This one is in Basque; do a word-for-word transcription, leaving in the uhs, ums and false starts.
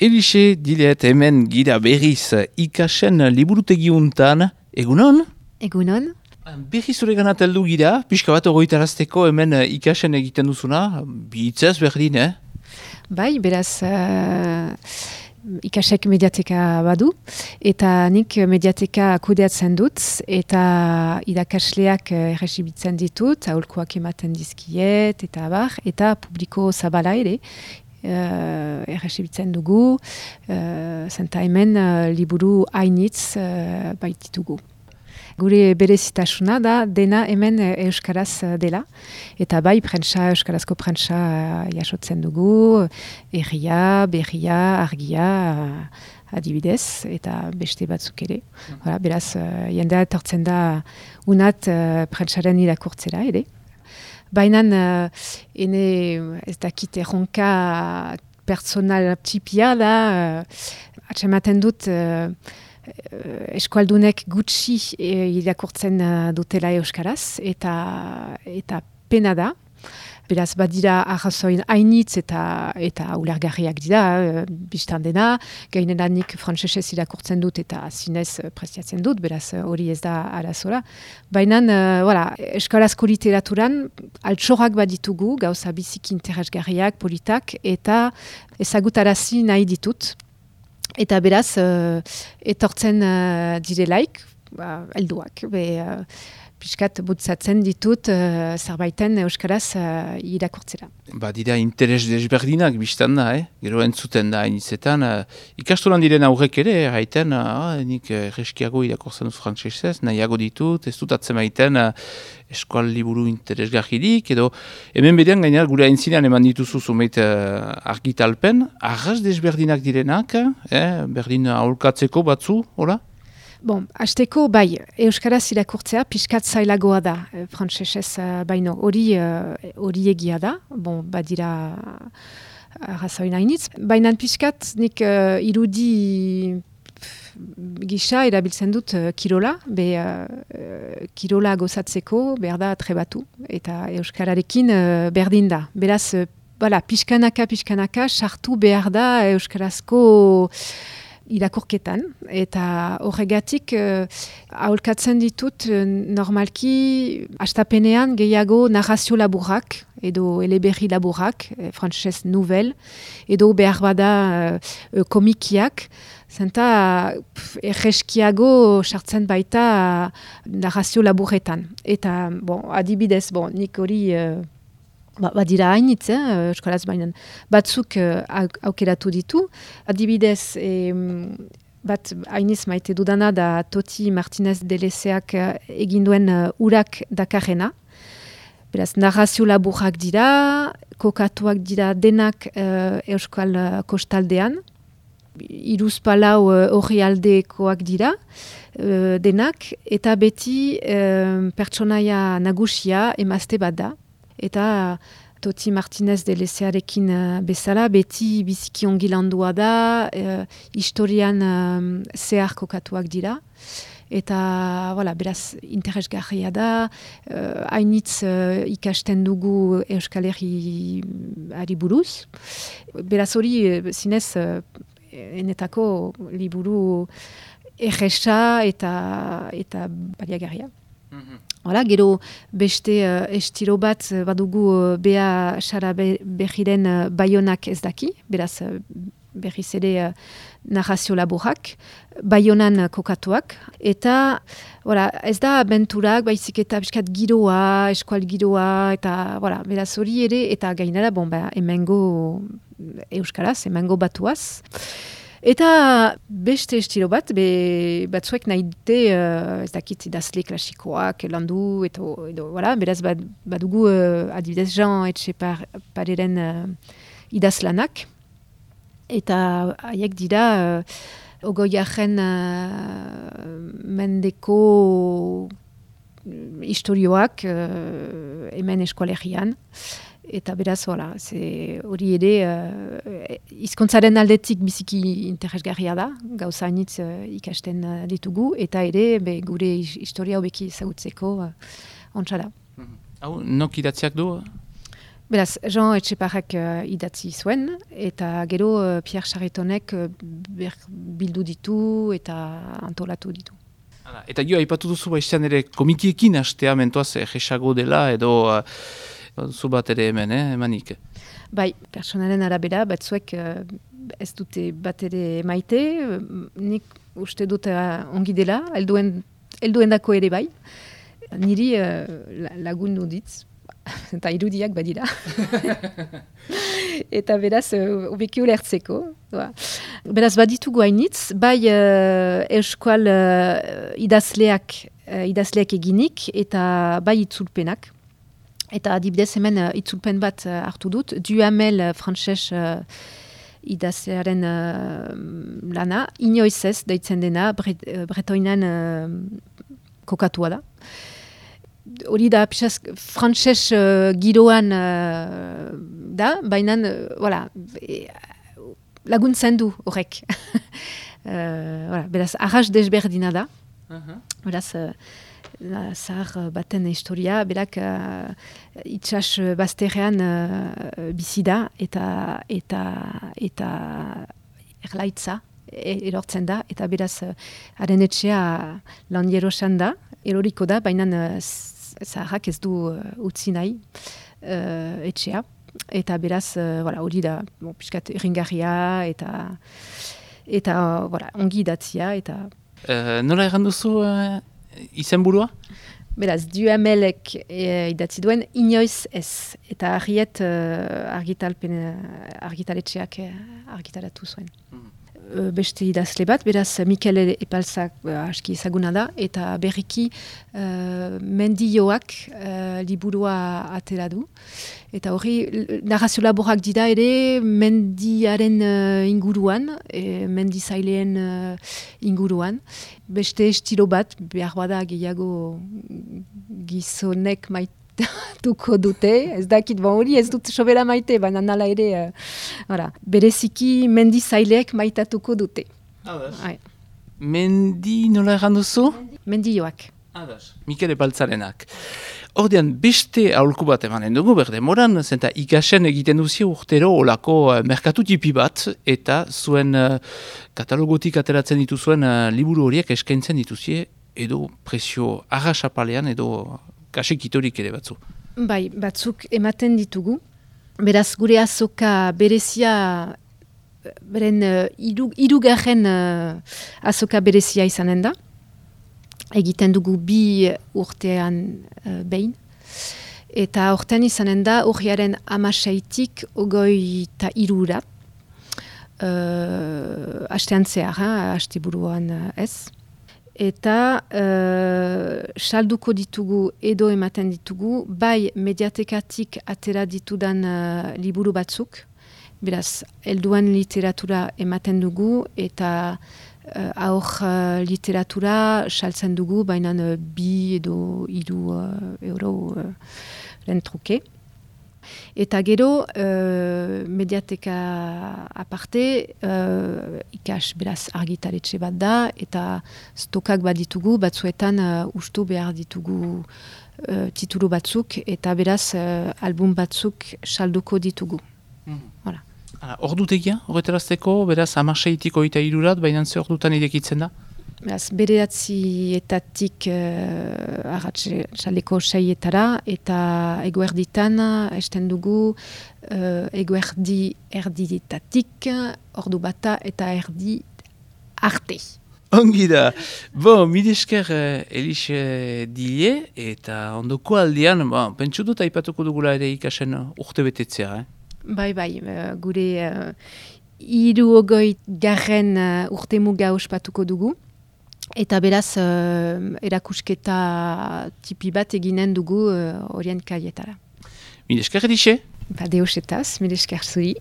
Elixe dilet hemen gira berriz ikasen liburutegiuntan, egunon? Egunon. Berriz zure ganat heldu gira, pixka bat ogoitarazteko hemen ikasen egiten duzuna, bihitzez berdin, eh? Bai, beraz, uh, ikasek mediateka badu, eta nik mediateka kudeatzen dut, eta irakasleak errezibitzen ditut, aholkoak ematen dizkiet, eta abar, eta publiko zabala ere, Uh, errezibitzen dugu, uh, zenta hemen uh, liburu hainitz uh, baititugu. Gure berezitasuna da dena hemen euskaraz dela, eta bai prentsa, euskarazko prentsa uh, jasotzen dugu, erria, berria, argia, uh, adibidez, eta beste batzuk ere. Mm. Hala, beraz, uh, jendea etortzen da unat uh, prentsaren irakurtzera ere. Baina, uh, ene ez dakit erronka personal txipia da, uh, atsematen dut uh, eskualdunek gutxi uh, irakurtzen uh, dutela euskaraz, eta, eta pena da. Beraz, badira arrazoin hainitz eta eta ulergarriak dira, uh, biztan dena, gainera nik frantsesez irakurtzen dut eta zinez uh, prestiatzen dut, beraz hori uh, ez da arazora. Baina, uh, voilà, eskarazko literaturan altxorrak baditugu, gauza biziki interesgarriak, politak, eta ezagutarazi nahi ditut. Eta beraz, uh, etortzen uh, direlaik, uh, helduak, be... Uh, piskat butzatzen ditut uh, zerbaiten euskaraz uh, irakurtzera. Ba, dira interes desberdinak biztan da, eh? Gero entzuten da hainitzetan. Uh, ikastolan diren aurrek ere, haiten, uh, nik erreskiago irakurtzen dut frantsesez, nahiago ditut, ez dut atzemaiten uh, eskual liburu interesgarririk, edo hemen berean gainean gure aintzinean eman dituzu zumeit uh, argitalpen, arras desberdinak direnak, eh? Berdin aholkatzeko batzu, hola? Bon, hasteko bai, euskaraz irakurtzea pixkat zailagoa da, e, frantsesez uh, baino, hori uh, hori egia da, bon, badira arrazoin hainitz, baina pixkat nik uh, irudi gisa erabiltzen dut uh, kirola, be uh, kirola gozatzeko behar da trebatu, eta euskararekin uh, berdin da, beraz, uh, bala, pixkanaka, pixkanaka, sartu behar da euskarazko irakurketan, eta horregatik uh, aholkatzen ditut uh, normalki hastapenean gehiago narrazio laburrak edo eleberri laburrak, eh, frantsesez nouvel, edo behar bada uh, komikiak, zenta erreskiago sartzen baita uh, narrazio laburretan. Eta, bon, adibidez, bon, nik hori... Uh, Ba, badira hainitz, eh, euskaraz bainan, batzuk uh, aukeratu ditu. Adibidez, eh, bat hainiz maite dudana da Toti Martinez de Lezeak uh, eginduen uh, urak dakarrena. Beraz, narrazio laburrak dira, kokatuak dira denak uh, euskal uh, kostaldean. Hiruzpalau horri uh, aldekoak dira, uh, denak, eta beti uh, pertsonaia nagusia emazte bat da. Eta Toti Martinez de Lezearekin uh, bezala, beti biziki ongi landua da, uh, historian um, zehar kokatuak dira. Eta, voilà, beraz, interesgarria da, uh, hainitz uh, ikasten dugu Euskal Herri buruz. Beraz hori, zinez, uh, enetako liburu erresa eta, eta baliagarria. Mm-hmm. Hala, gero beste uh, estilo bat badugu uh, Bea Sara be, Behiren uh, Baionak ez daki, beraz uh, berriz ere uh, narrazio laburrak, Baionan uh, kokatuak, eta voilà, ez da abenturak, baizik eta biskat giroa, eskual giroa, eta voilà, beraz hori ere, eta gainera, bon, ba, emengo euskaraz, emengo batuaz. Eta beste estilo bat, be, batzuek nahi dute, uh, ez dakit idazle klasikoak landu, eto, edo, voilà, beraz bad, badugu uh, adibidez Jean Etxepareren uh, idazlanak, eta haiek dira uh, ogoiaren uh, mendeko istorioak uh, hemen eskualerian. Eta beraz, hori ere, uh, hizkuntzaren aldetik biziki interesgarria da, gauza hainitz uh, ikasten uh, ditugu, eta ere, be, gure historia hobeki ezagutzeko uh, ontsa da. Hau, nok idatziak du? Beraz, Jean Etxeparrek uh, idatzi zuen, eta gero uh, Pierre Charretonek uh, bildu ditu eta antolatu ditu. Hala, eta jo, aipatu duzu baiztean ere komikiekin hastea mentoaz jesago dela edo uh, zu bat ere hemen, eh, emanik. Bai, personaren arabera, batzuek uh, ez dute bat ere maite, nik uste dut uh, ongi dela, helduen, helduen dako ere bai, niri uh, lagundu ditz, eta irudiak badira. Eta beraz, obeki ulertzeko. Beraz, baditugu hainitz, bai uh, euskal uh, idazleak, uh, idazleak eginik, eta bai itzulpenak. Eta adibidez hemen uh, itzulpen bat uh, hartu dut, Duhamel uh, frantses uh, idazlearen uh, lana, inoiz ez deitzen dena, bret, uh, bretoinan uh, kokatua da. Hori da, pixaz, frantses uh, giroan uh, da, baina, uh, voilà, e, laguntzen du horrek. uh, voilà, beraz, arras desberdina da. Uh-huh. Beraz, uh, zahar baten historia, berak uh, itxas bazterrean uh, bizi da, eta, eta, eta erlaitza erortzen da, eta beraz, uh, haren etxea lan jerosan da, eroriko da, baina uh, zaharrak ez du uh, utzi nahi uh, etxea. Eta beraz, uh, voilà, hori da, bon, piskat ringarria, eta, eta uh, voilà, ongi idatzia. Eta... Uh, nola erran duzu uh, izenburua? Beraz, Duhamelek e, idatzi duen, inoiz ez. Eta argiet uh, argitalpen, argitaletxeak argitaratu zuen. Mm. Beste idazle bat, beraz Mikel Epalzak uh, aski ezaguna da, eta berriki uh, mendioak uh, liburua atera du. Eta hori, narrazio laborak dira ere mendiaren uh, inguruan, e, mendizaileen uh, inguruan. Beste estilo bat, behar bada gehiago gizonek maite tuko dute, ez dakit, bon, hori ez dut sobera maite, baina nala ere, uh, bereziki mendizaileek maitatuko dute. Adas. Mendi nola erran duzu? Mendioak. Adas, Mikel Epaltzarenak. Ordean, beste aholku bat emanen dugu, berde moran, zenta ikasen egiten duzio urtero olako uh, merkatu tipi bat, eta zuen uh, katalogotik ateratzen dituzuen uh, liburu horiek eskaintzen dituzie, edo presio arrasapalean, edo kasik itorik ere batzu. Bai, batzuk ematen ditugu. Beraz, gure azoka berezia, beren uh, iru, irugarren uh, azoka berezia izanen da. Egiten dugu bi urtean uh, behin. Eta urtean izanen da, urriaren amaseitik ogoi eta irura. Uh, Astean zehar, haste buruan uh, ez. Eta uh, salduko ditugu edo ematen ditugu, bai mediatekatik atera ditudan uh, liburu batzuk, beraz, helduan literatura ematen dugu, eta uh, aur uh, literatura saltzen dugu, baina uh, bi edo hiru uh, euro uh, ren truke. Eta gero, uh, mediateka aparte, uh, ikas beraz argitaletxe bat da, eta stokak bat ditugu, batzuetan uh, ustu behar ditugu uh, titulu batzuk, eta beraz uh, album batzuk salduko ditugu. Mm-hmm. Voilà. Ordutegia, horretarazteko, beraz amaseitik oita irurat, baina ze ordutan idekitzen da? Beraz, bereatzietatik uh, arratsaleko seietara, eta eguerditan esten dugu uh, eguerdi erditatik, ordu bata eta erdi arte. Ongi da. Bon, midesker uh, Elixe Dile, eta ondoko aldean, bon, pentsu dut aipatuko dugula ere ikasen urte betetzea, eh? Bai, bai, uh, gure uh, hiru ogoi garren uh, urte muga ospatuko dugu. Eta beraz, uh, erakusketa tipi bat eginen dugu horien uh, kaietara. Midesker Elixe? Ba, deosetaz, midesker zuri.